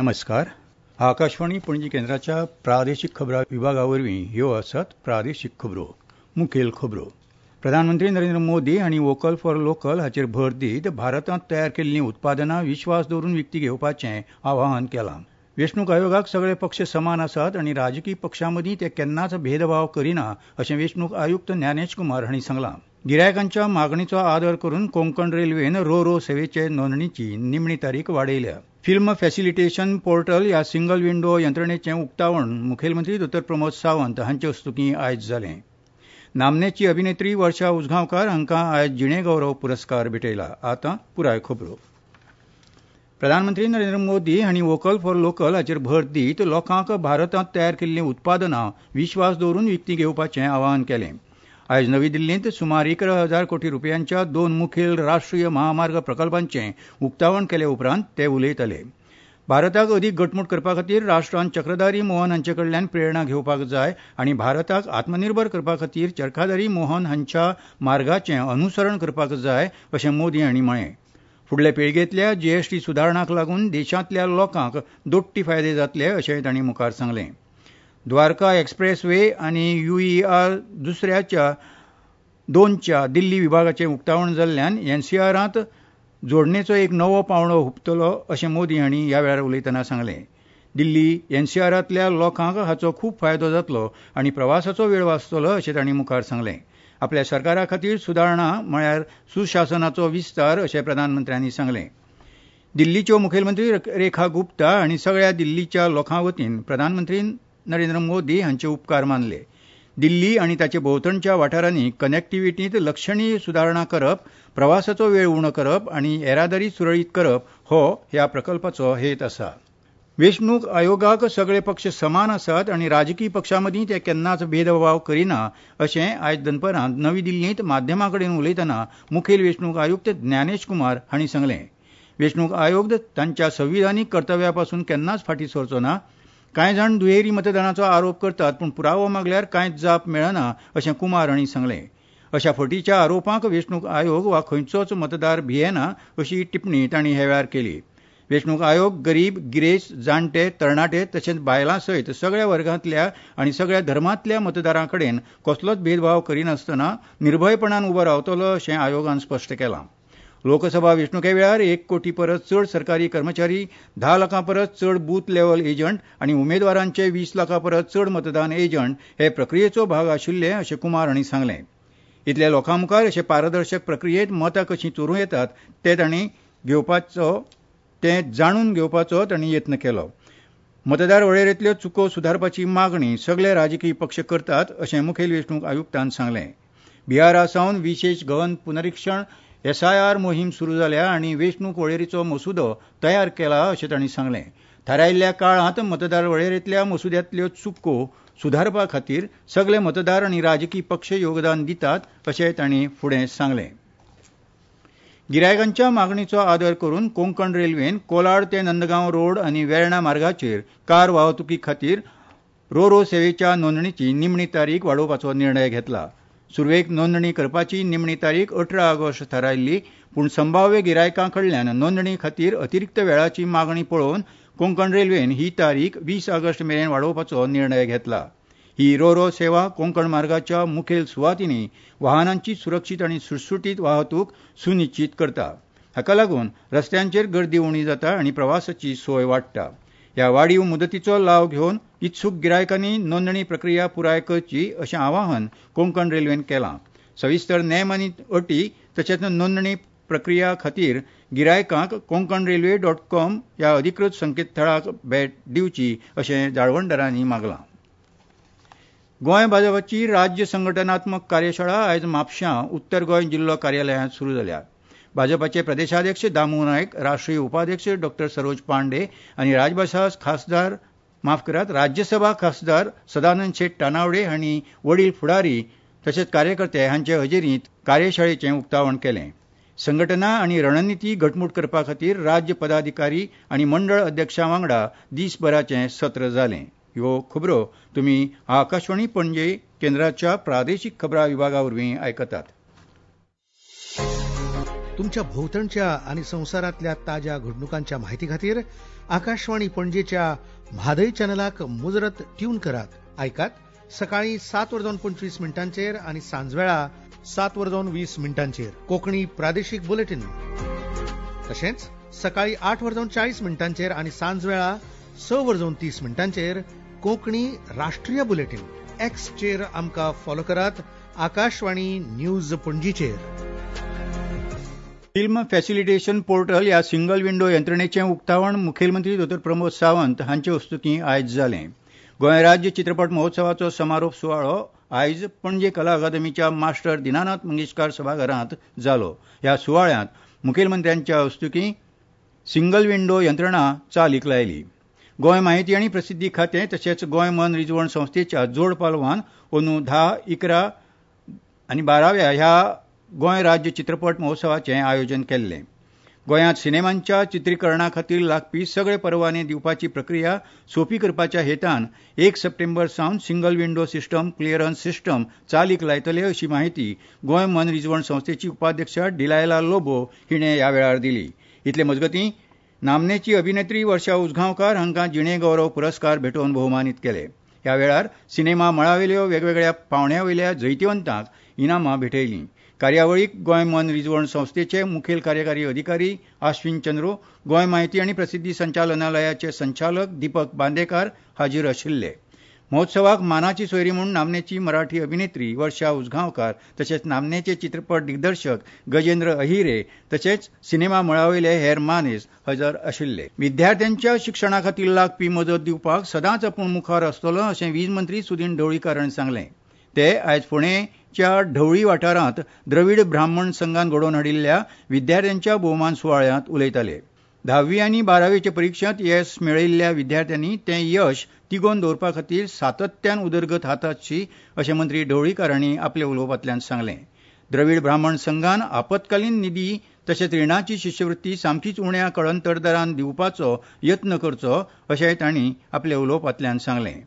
नमस्कार. आकाशवाणी पणजी केंद्राच्या प्रादेशीक खबरां विभागा वरवीं ह्यो आसात प्रादेशीक खबरो. मुखेल खबरो. प्रधानमंत्री नरेंद्र मोदी हांणी व्होकल फॉर लोकल हाचेर भर दीत भारतांत तयार केल्लीं उत्पादनां विश्वास दवरून विकती घेवपाचें आवाहन केलां. वेंचणूक आयोगाक सगळे पक्ष समान आसात आनी राजकी पक्षां मदीं ते केन्नाच भेदभाव करिना अशें वेंचणूक आयुक्त ज्ञानेश कुमार हांणी सांगलां. गिरायकांच्या मागणीचो आदर करून कोंकण रेल्वेन रो रो सेवेचे नोंदणीची निमणी तारीख वाडयल्या. फिल्म फॅसिलिटेशन पोर्टल ह्या सिंगल विंडो यंत्रणेचें उक्तावण मुखेलमंत्री दोतोर प्रमोद सावंत हांचे हस्तुकीं आयज जालें. नामनेची अभिनेत्री वर्षा उजगांवकार हांकां आयज जिणेगौरव पुरस्कार भेटयला. आतां पुराय खबरो. प्रधानमंत्री नरेंद्र मोदी हांणी व्होकल फॉर लोकल हाचेर भर दीत लोकांक भारतांत तयार केल्लीं उत्पादनां विश्वास दवरून विकतीं घेवपाचें आवाहन केलें. आयज नवी दिल्लींत सुमार 11,000 कोटी रुपयांच्या दोन मुखेल राष्ट्रीय महामार्ग प्रकल्पांचें उक्तावण केले उपरांत ते उलयताले. भारताक अदीक घटमूट करपा खातीर राष्ट्रान चक्रधारी मोहन हांचे कडल्यान प्रेरणा घेवपाक जाय आनी भारताक आत्मनिर्भर करपा खातीर चरखाधारी मोहन हांच्या मार्गाचें अनुसरण करपाक जाय अशें मोदी हांणी म्हळें. फुडले पिळगेंतल्या जीएसटी सुदारणांक लागून देशांतल्या लोकांक दोट्टी फायदे जातले अशें तांणी मुखार सांगलें. द्वारका एक्सप्रेस वे आनी यूईआर दुसऱ्याच्या दोनच्या दिल्ली विभागाचें उक्तावण जाल्ल्यान एनसीआरांत जोडणेचो एक नवो पांवडो हुपतलो अशें मोदी हांणी ह्या वेळार उलयतना सांगलें. दिल्ली एनसीआरांतल्या लोकांक हाचो खूब फायदो जातलो आनी प्रवासाचो वेळ वाचतलो अशें तांणी मुखार सांगलें. आपल्या सरकारा खातीर सुदारणा म्हळ्यार सुशासनाचो विस्तार अशें प्रधानमंत्र्यांनी सांगलें. दिल्लीच्यो मुखेलमंत्री रेखा गुप्ता हांणी सगळ्या दिल्लीच्या लोकां वतीन प्रधानमंत्री नरेंद्र मोदी हांचे उपकार मानले. दिल्ली आनी ताचे भोंवतणच्या वाठारांनी कनेक्टिविटींत लक्षणीय सुदारणा करप, प्रवासाचो वेळ उणो करप आनी येरादारी सुरळीत करप हो ह्या प्रकल्पाचो हेत आसा. वेंचणूक आयोगाक सगळे पक्ष समान आसात आनी राजकी पक्षां मदीं ते केन्नाच भेदभाव करिना अशें आयज दनपरां नवी दिल्लींत माध्यमां कडेन उलयतना मुखेल वेंचणूक आयुक्त ज्ञानेश कुमार हांणी सांगलें. वेंचणूक आयोग तांच्या संविधानीक कर्तव्या पसून केन्नाच फाटीं सरचो ना. कांय जाण दुहेरी मतदानाचो आरोप करतात पूण पुरावो मागल्यार कांयच जाप मेळना अशें कुमार हांणी सांगलें. अशा फटीच्या आरोपांक वेंचणूक आयोग वा खंयचोच मतदार भियेना अशी टिप्पणी तांणी ह्या वेळार केली. वेंचणूक आयोग गरीब, गिरेस्त, जाणटे, तरणाटे तशेंच बायलां सयत सगळ्या वर्गांतल्या आनी सगळ्या धर्मांतल्या मतदारां कडेन कसलोच भेदभाव करिनासतना निर्भयपणान उबो रावतलो अशें आयोगान स्पश्ट केलां. लोकसभा वेंचणुके वेळार 1 कोटी परस चड सरकारी कर्मचारी, 10 लाखां परस चड बूथ लेव्हल एजंट आनी उमेदवारांचे 20 लाखां परस चड मतदान एजंट हे प्रक्रियेचो भाग आशिल्ले अशें कुमार हांणी सांगलें. इतल्या लोकां मुखार अशे पारदर्शक प्रक्रियेंत मतां कशीं चोरूं येतात ते तांणी घेवपाचो ते जाणून घेवपाचो तांणी यत्न केलो. मतदार वळेरेंतल्यो चुको सुदारपाची मागणी सगळे राजकी पक्ष करतात अशें मुखेल वेंचणूक आयुक्तान सांगलें. बिहारा सावन विशेश गहन पुनरिक्षण एसआयआर मोहीम सुरू जाल्या आनी वेंचणूक वळेरीचो मसुदो तयार केला अशें तांणी सांगलें. थारायिल्ल्या काळांत मतदार वळेरेंतल्या मसुद्यांतल्यो चुको सुदारपा खातीर सगळे मतदार आनी राजकी पक्ष योगदान दितात अशें तांणी फुडें सांगलें. गिरायकांच्या मागणीचो आदर करून कोंकण रेल्वेन कोलाड ते नंदगांव रोड आनी वेर्णा मार्गाचेर कार वाहतुकी खातीर रो रो सेवेच्या नोंदणीची निमणी तारीख वाडोवपाचो निर्णय घेतला. सुरवेक नोंदणी करपाची निमणी तारीख 18 ऑगस्ट थारायल्ली, पूण संभाव्य गिरायकां कडल्यान नोंदणी खातीर अतिरिक्त वेळाची मागणी पळोवन कोंकण रेल्वेन ही तारीख 20 ऑगस्ट मेरेन वाडोवपाचो निर्णय घेतला. ही रो रो सेवा कोंकण मार्गाच्या मुखेल सुवातींनी वाहनांची सुरक्षीत आनी सुटसुटीत वाहतूक सुनिश्चीत करता. हाका लागून रस्त्यांचेर गर्दी उणी जाता आनी प्रवासाची सोय वाडटा. ह्या वाडीव मुदतीचो लाव घेवन इत्सूक गिरायकांनी नोंदणी प्रक्रिया पुराय करची अशें आवाहन कोंकण रेल्वेन केलां. सविस्तर नेम आनी अटी तशेंच नोंदणी प्रक्रिया खातीर गिरायकांक konkanrailway.com ह्या अधिकृत संकेतथळाक भेट दिवची अशें जाळवणदारांनी मागलां. गोंय भाजपाची राज्य संघटनात्मक कार्यशाळा आयज म्हापश्यां उत्तर गोंय जिल्लो कार्यालयांत सुरू जाल्या. भाजपाचे प्रदेशाध्यक्ष दामू नायक, राष्ट्रीय उपाध्यक्ष डॉ सरोज पांडे आनी राज्यसभा खासदार सदानंद शेट तानावडे हांणी वडील फुडारी तशेंच कार्यकर्ते हांचे हजेरींत कार्यशाळेचें उक्तावण केलें. संघटना आनी रणनिती घटमूट करपा खातीर राज्य पदाधिकारी आनी मंडळ अध्यक्षां वांगडा दीसभराचें सत्र जालें. ह्यो खबरो तुमी आकाशवाणी पणजे केंद्राच्या प्रादेशीक खबरां विभागा वरवीं आयकतात. तुमच्या भोवतणच्या आनी संवसारांतल्या ताज्या घडणुकांच्या माहिती खातीर आकाशवाणी पणजेच्या म्हादय चॅनलाक मुजरत ट्यून करात. आयकात सकाळी 7:25 आनी सांजवेळा 7:20 कोंकणी प्रादेशीक बुलेटीन. तशेंच सकाळी 8:40 आनी सांजवेळा 6:30 कोंकणी राष्ट्रीय बुलेटीन. एक्सचेर आमकां फॉलो करात आकाशवाणी न्यूज पणजीचेर. फिल्म फॅसिलिटेशन पोर्टल ह्या सिंगल विंडो यंत्रणेचें उक्तावण मुखेलमंत्री दोतोर प्रमोद सावंत हांचे हस्तुकीं आयज जालें. गोंय राज्य चित्रपट महोत्सवाचो समारोप सुवाळो आयज पणजे कला अकादमीच्या मास्टर दिनानाथ मंगेशकार सभाघरांत जालो. ह्या सुवाळ्यांत मुखेलमंत्र्यांच्या हस्तुकीं सिंगल विंडो यंत्रणा चालीक लायली. गोंय माहिती आनी प्रसिद्धी खातें तशेंच गोंय मन रिजवण संस्थेच्या जोड पालवान अंदू 10, 11 आनी 12व्या ह्या गोंय राज्य चित्रपट महोत्सवाचें आयोजन केल्लें. गोंयांत सिनेमांच्या चित्रीकरणा खातीर लागपी सगळे परवाने दिवपाची प्रक्रिया सोंपी करपाच्या हेतान 1 सप्टेंबर सावन single window system clearance system चालीक लायतले अशी माहिती गोंय मन रिजवण संस्थेची उपाध्यक्ष डिलायला लोबो हिणें ह्या वेळार दिली. इतले मजगतीं नामनेची अभिनेत्री वर्षा उजगांवकार हांकां जिणे गौरव पुरस्कार भेटोवन भोवमानीत केले. ह्या वेळार सिनेमा मळावेल्यो वेगवेगळ्या पांवड्यावेल्या जैतिवंतांक इनामां भेटयलीं. कार्यावळीक गोंय मन रिजवण संस्थेचे मुखेल कार्यकारी अधिकारी आश्विन चंद्रो, गोंय माहिती आनी प्रसिद्धी संचालनालयाचे संचालक दीपक बांदेकार हाजीर आशिल्ले. महोत्सवाक मानाची सोयरी म्हूण नामनेची मराठी अभिनेत्री वर्षा उजगांवकार तशेंच नामनेचे चित्रपट दिग्दर्शक गजेंद्र अहिरे तशेंच सिनेमा मळावयले हेर मानेस हजर आशिल्ले. विद्यार्थ्यांच्या शिक्षणा खातीर लागपी मजत दिवपाक सदांच आपूण मुखार आसतलो अशें वीज मंत्री सुदीन ढवळीकार हांणी सांगलें. ते आयज फोंडेंच्या ढवळी वाठारांत द्रवीड ब्राह्मण संघान घडोवन हाडिल्ल्या विद्यार्थ्यांच्या भोवमान सुवाळ्यांत उलयताले. 10वी आनी 12वीचे परिक्षेंत येस मेळयिल्ल्या विद्यार्थ्यांनी तें यश तिगोवन दवरपा खातीर सातत्यान उदरगत हातासची अशें मंत्री ढवळीकार हांणी आपल्या उलोवपांतल्यान सांगलें. द्रवीड ब्राह्मण संघान आपत्कालीन निधी तशेंच रिणाची शिश्यवृत्ती सामकीच उण्या कळंतर दरान दिवपाचो यत्न करचो अशेंय तांणी आपल्या उलोवपांतल्यान सांगलें.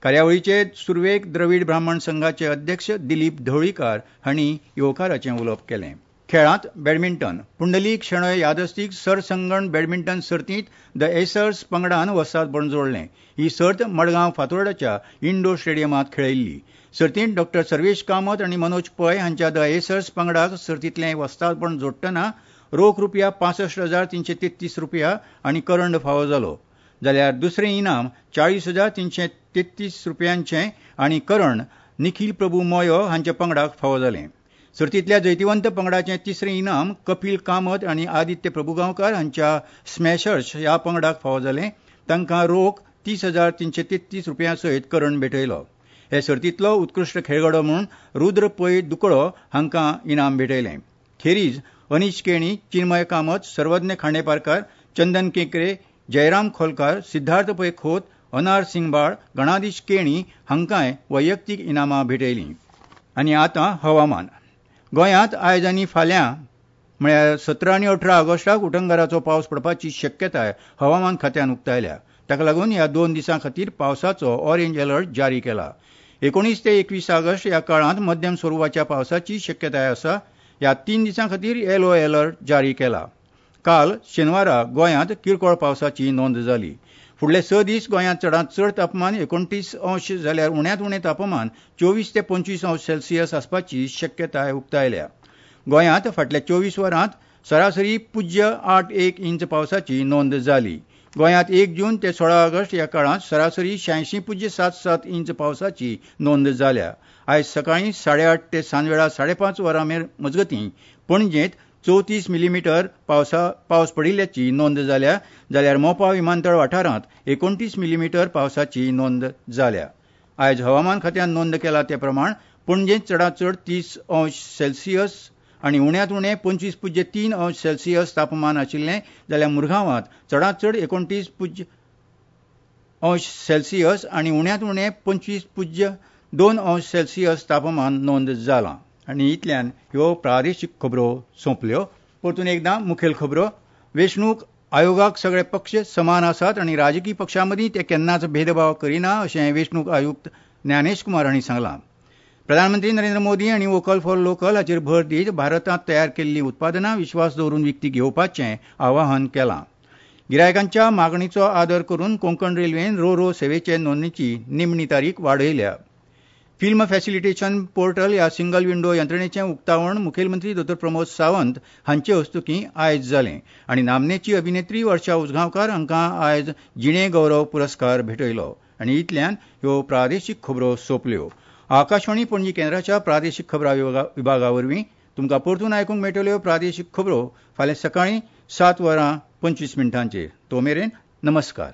कार्यावळीचे सुरवेक द्रवीड ब्राह्मण संघाचे अध्यक्ष दिलीप ढवळीकार हांणी येवकाराचें उलोवप केलें. खेळांत बॅडमिंटन. पुंडलीक शेणोय यादस्तीक सरसंगण बॅडमिंटन सर्तींत the एसर्स पंगडान वस्तादपण जोडलें. ही सर्त मडगांव फातोर्डाच्या इंडोर स्टेडियमांत खेळयल्ली. सर्तींत डॉ सर्वेश कामत आनी मनोज पै हांच्या the एसर्स पंगडाक सर्तींतलें वस्तादपण जोडटना रोख रुपया 65,333 रुपया आनी करंड फावो जालो. जाल्यार दुसरें इनाम 40,333 रुपयांचें आनी करंड निखील प्रभू मोयो हांच्या पंगडाक फावो जालें. सर्तींतल्या जैतिवंत पंगडाचें तिसरें इनाम कपील कामत आनी आदित्य प्रभुगांवकार हांच्या स्मॅशर्स ह्या पंगडाक फावो जालें. तांकां रोख 30,333 रुपयां सयत करंड भेटयलो. हे सर्तींतलो उत्कृश्ट खेळगडो म्हूण रुद्र पै दुकळो हांकां इनाम भेटयलें. खेरीज अनीश केणी, चिन्मय कामत, सर्वज्ञ खांडेपारकार, चंदन केंकरे, जयराम खोलकार, सिद्धार्थ पै खोत, अनार सिंगबाळ, गणाधीश केणी हांकांय वैयक्तीक इनामां भेटयलीं. आनी आतां हवामान. गोंयांत आयज आनी फाल्यां म्हळ्यार 17 आनी 18 ऑगस्टाक उटंगाराचो पावस पडपाची शक्यताय हवामान खात्यान उक्तायल्या. ताका लागून ह्या 2 दिसां खातीर पावसाचो ऑरेंज अलर्ट जारी केला. 19 ते 21 ऑगस्ट ह्या काळांत मध्यम स्वरुपाच्या पावसाची शक्यताय आसा. ह्या 3 दिसां खातीर येलो अलर्ट जारी केला. काल शेनवारा गोंयांत किरकोळ पावसाची नोंद जाली. फुडले 6 दीस गोंयांत चडांत चड तापमान 29 अंश जाल्यार उण्यांत उणें तापमान 24 ते 25 अंश सेल्सियस आसपाची शक्यताय उक्तायल्या. गोंयांत फाटल्या 24 वरांत सरासरी 0.81 इंच पावसाची नोंद जाली. गोंयांत 1 जून ते 16 ऑगस्ट ह्या काळांत सरासरी 86.77 इंच पावसाची नोंद जाल्या. आयज सकाळीं 8:30 ते सांजवेळा 5:30 वरां मजगतीं पणजेंत 34 मिलीमिटर पावस पडिल्ल्याची नोंद जाल्या. जाल्यार मोपा विमानतळ वाठारांत 29 मिलीमिटर पावसाची नोंद जाल्या. आयज हवामान खात्यान नोंद केला ते प्रमाण पणजेंत चडांत चड 30 अंश सेल्सियस आनी उण्यांत उणें 25.3 अंश सेल्सियस तापमान आशिल्लें. जाल्यार मुरगांवांत चडांत चड 29 अंश सेल्सियस आनी उण्यांत उणें 25.2 अंश सेल्सियस तापमान नोंद जालां. आनी इतल्यान ह्यो प्रादेशीक खबरो सोंपल्यो. परतून एकदां मुखेल खबरो. वेंचणूक आयोगाक सगळे पक्ष समान आसात आनी राजकी पक्षां मदीं ते केन्नाच भेदभाव करिना अशें वेंचणूक आयुक्त ज्ञानेश कुमार हांणी सांगलां. प्रधानमंत्री नरेंद्र मोदी हांणी व्होकल फॉर लोकल हाचेर भर दीत भारतांत तयार केल्लीं उत्पादनां विश्वास दवरून विकती घेवपाचें आवाहन केलां. गिरायकांच्या मागणीचो आदर करून कोंकण रेल्वेन रो रो सेवेचे नोंदणीची निमणी तारीख वाडयल्या. फिल्म फॅसिलिटेशन पोर्टल ह्या सिंगल विंडो यंत्रणेचें उक्तावण मुखेलमंत्री दोतोर प्रमोद सावंत हांचे हस्तुकीं आयज जालें आनी नामनेची अभिनेत्री वर्षा उजगांवकार हांकां आयज जिणे गौरव पुरस्कार भेटयलो. आनी इतल्यान ह्यो प्रादेशीक खबरो सोंपल्यो. आकाशवाणी पणजी केंद्राच्या प्रादेशीक खबरां विभागा वरवीं तुमकां परतून आयकूंक मेळटल्यो प्रादेशीक खबरो फाल्यां सकाळीं 7:25. तो मेरेन नमस्कार.